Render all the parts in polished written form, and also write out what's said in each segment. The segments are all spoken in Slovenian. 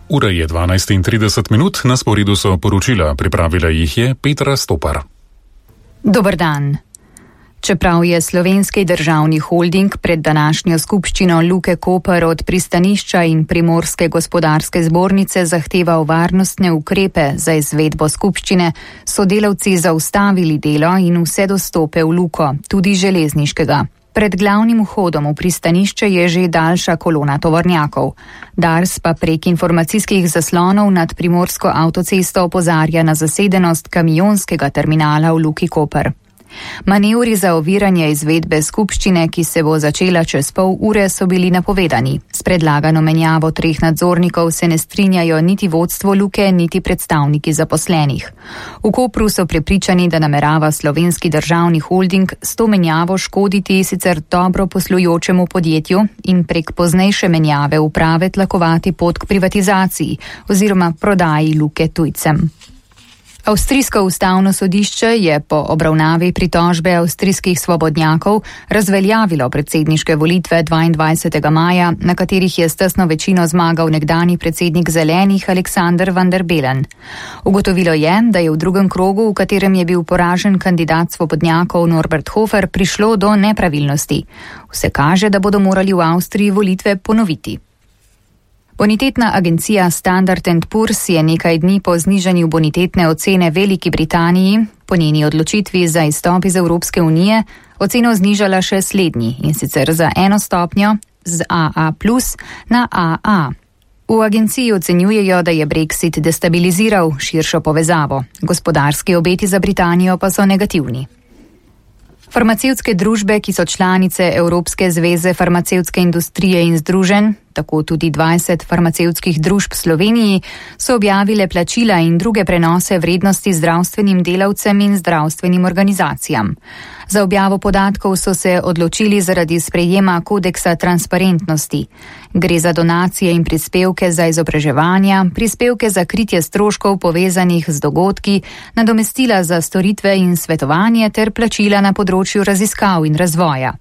Ura je 12:30, na sporedu so poročila, pripravila jih je Petra Stopar. Dober dan. Čeprav je Slovenski državni holding pred današnjo skupščino Luke Koper od pristanišča in Primorske gospodarske zbornice zahteval varnostne ukrepe za izvedbo skupščine, so delavci zaustavili delo in vse dostope v Luko, tudi železniškega. Pred glavnim vhodom v pristanišče je že daljša kolona tovornjakov. Dars pa prek informacijskih zaslonov nad Primorsko avtocesto opozarja na zasedenost kamionskega terminala v Luki Koper. Manevri za oviranje izvedbe skupščine, ki se bo začela čez pol ure, so bili napovedani. S predlagano menjavo 3 nadzornikov se ne strinjajo niti vodstvo Luke, niti predstavniki zaposlenih. V Kopru so prepričani, da namerava Slovenski državni holding s to menjavo škoditi sicer dobro poslujočemu podjetju in prek poznejše menjave uprave tlakovati pot k privatizaciji oziroma prodaji Luke tujcem. Avstrijsko ustavno sodišče je po obravnavi pritožbe avstrijskih svobodnjakov razveljavilo predsedniške volitve 22. maja, na katerih je s tesno večino zmagal nekdanji predsednik Zelenih Alexander Van der Bellen. Ugotovilo je, da je v drugem krogu, v katerem je bil poražen kandidat svobodnjakov Norbert Hofer, prišlo do nepravilnosti. Vse kaže, da bodo morali v Avstriji volitve ponoviti. Bonitetna agencija Standard & Poor's je nekaj dni po znižanju bonitetne ocene Veliki Britaniji, po njeni odločitvi za izstop iz Evropske unije, oceno znižala še slednji, in sicer za 1 stopnjo z AA+ na AA. V agenciji ocenjujejo, da je Brexit destabiliziral širšo povezavo. Gospodarski obeti za Britanijo pa so negativni. Farmacevtske družbe, ki so članice Evropske zveze farmacevtske industrije in združenj, tako tudi 20 farmacevtskih družb v Sloveniji, so objavile plačila in druge prenose vrednosti zdravstvenim delavcem in zdravstvenim organizacijam. Za objavo podatkov so se odločili zaradi sprejema kodeksa transparentnosti. Gre za donacije in prispevke za izobraževanja, prispevke za kritje stroškov povezanih z dogodki, nadomestila za storitve in svetovanje ter plačila na področju raziskav in razvoja.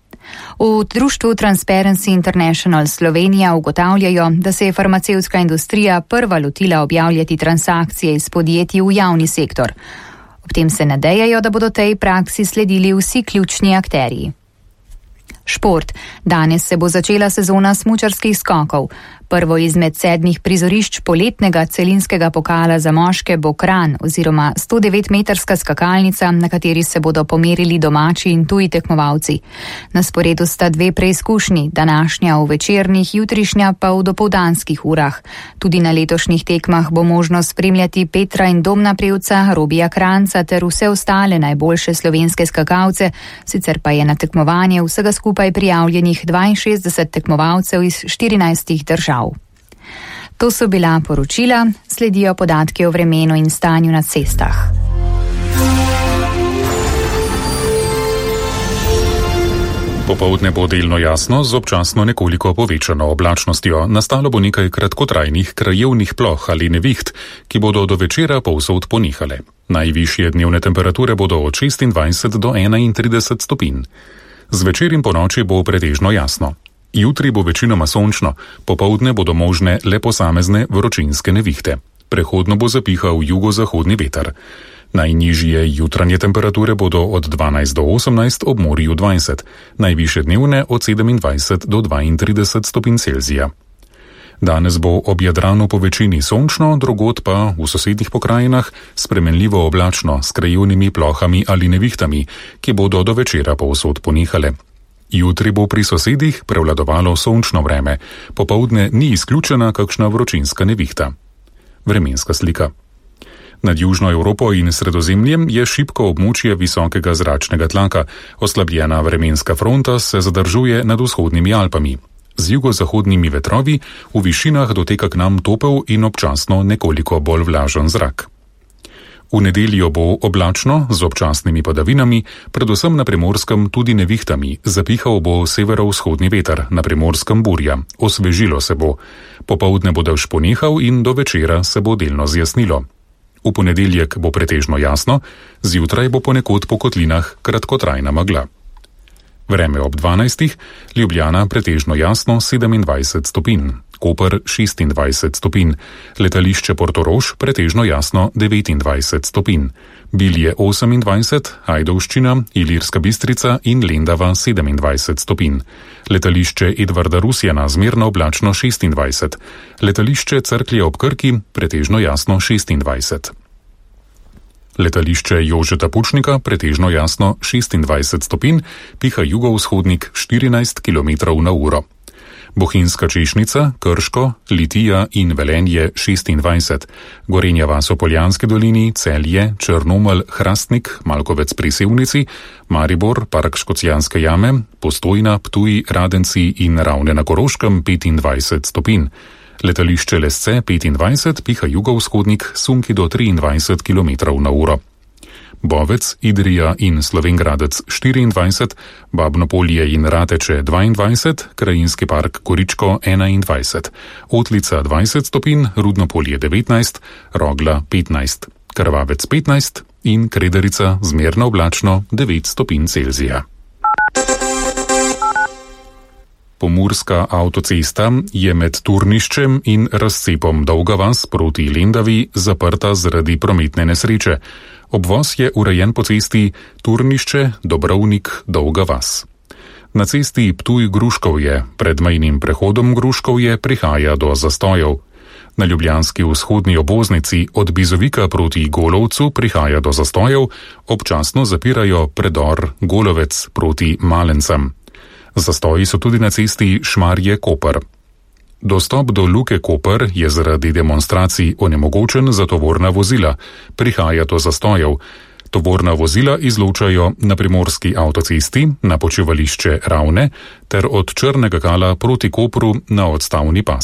V društvu Transparency International Slovenija ugotavljajo, da se je farmacevtska industrija prva lotila objavljati transakcije iz podjetij v javni sektor. Ob tem se nadejajo, da bodo tej praksi sledili vsi ključni akterji. Šport. Danes se bo začela sezona smučarskih skokov. Prvo izmed 7 prizorišč poletnega celinskega pokala za moške bo Kranj oziroma 109-metrska skakalnica, na kateri se bodo pomerili domači in tuji tekmovalci. Na sporedu sta 2 preizkušnji, današnja v večernih, jutrišnja pa v dopoldanskih urah. Tudi na letošnjih tekmah bo možno spremljati Petra in Domna Prevca, Robija Kranjca ter vse ostale najboljše slovenske skakalce, sicer pa je na tekmovanje vsega skupaj prijavljenih 62 tekmovalcev iz 14 držav. To so bila poročila, sledijo podatki o vremenu in stanju na cestah. Popoldne bo delno jasno z občasno nekoliko povečano oblačnostjo. Nastalo bo nekaj kratkotrajnih krajevnih ploh ali neviht, ki bodo do večera povsod ponehale. Najvišje dnevne temperature bodo od 26 do 31 stopinj. Zvečer in ponoči bo pretežno jasno. Jutri bo večinoma sončno, popoldne bodo možne le posamezne vročinske nevihte. Prehodno bo zapihal jugozahodni veter. Najnižje jutranje temperature bodo od 12 do 18, ob morju 20, najvišje dnevne od 27 do 32 stopinj Celzija. Danes bo ob Jadranu po večini sončno, drugod pa v sosednjih pokrajinah spremenljivo oblačno s krajevnimi plohami ali nevihtami, ki bodo do večera povsod ponehale. Jutri bo pri sosedih prevladovalo sončno vreme, popoldne ni izključena kakšna vročinska nevihta. Vremenska slika. Nad Južno Evropo in Sredozemljem je šibko območje visokega zračnega tlaka, oslabljena vremenska fronta se zadržuje nad vzhodnimi Alpami. Z jugozahodnimi vetrovi v višinah doteka k nam topel in občasno nekoliko bolj vlažen zrak. V nedeljo bo oblačno z občasnimi padavinami, predvsem na Primorskem tudi nevihtami, zapihal bo severovzhodni veter, na Primorskem burja, osvežilo se bo. Popoldne bo dež ponehal in do večera se bo delno zjasnilo. V ponedeljek bo pretežno jasno, zjutraj bo ponekod po kotlinah kratkotrajna megla. Vreme ob 12. Ljubljana pretežno jasno 27 stopinj. Koper 26 stopinj, letališče Portorož pretežno jasno 29 stopinj, Bilje 28, Ajdovščina, Ilirska Bistrica in Lendava 27 stopinj, letališče Edvarda Rusjana zmerno oblačno 26, letališče Cerklje ob Krki pretežno jasno 26. Letališče Jožeta Pučnika pretežno jasno 26 stopinj, piha jugovzhodnik 14 km/h. Bohinjska Češnica, Krško, Litija in Velenje 26, Gorenja vas v Poljanski dolini, Celje, Črnomelj, Hrastnik, Malkovec pri Sevnici, Maribor, Park Škocjanske jame, Postojna, Ptuj, Radenci in Ravne na Koroškem 25 stopinj. Letališče Lesce 25, piha jugovzhodnik, sunki do 23 km/h. Bovec, Idrija in Slovengradec 24, Babnopolje in Rateče 22, Krajinski park Goričko 21, Otlica 20 stopinj, Rudnopolje 19, Rogla 15, Krvavec 15 in Kredarica zmerno oblačno 9 stopinj Celzija. Pomurska avtocesta je med Turniščem in razcepom Dolga vas proti Lendavi zaprta zaradi prometne nesreče. Obvoz je urejen po cesti Turnišče, Dobrovnik, Dolga vas. Na cesti Ptuj-Gruškovje pred mejnim prehodom Gruškovje prihaja do zastojev. Na ljubljanski vzhodni obvoznici od Bizovika proti Golovcu prihaja do zastojev, občasno zapirajo predor Golovec proti Malencem. Zastoji so tudi na cesti Šmarje-Koper. Dostop do Luke Koper je zaradi demonstracij onemogočen za tovorna vozila, prihaja do zastojev. Tovorna vozila izločajo na primorski avtocesti, na počivališče Ravne ter od Črnega Kala proti Kopru na odstavni pas.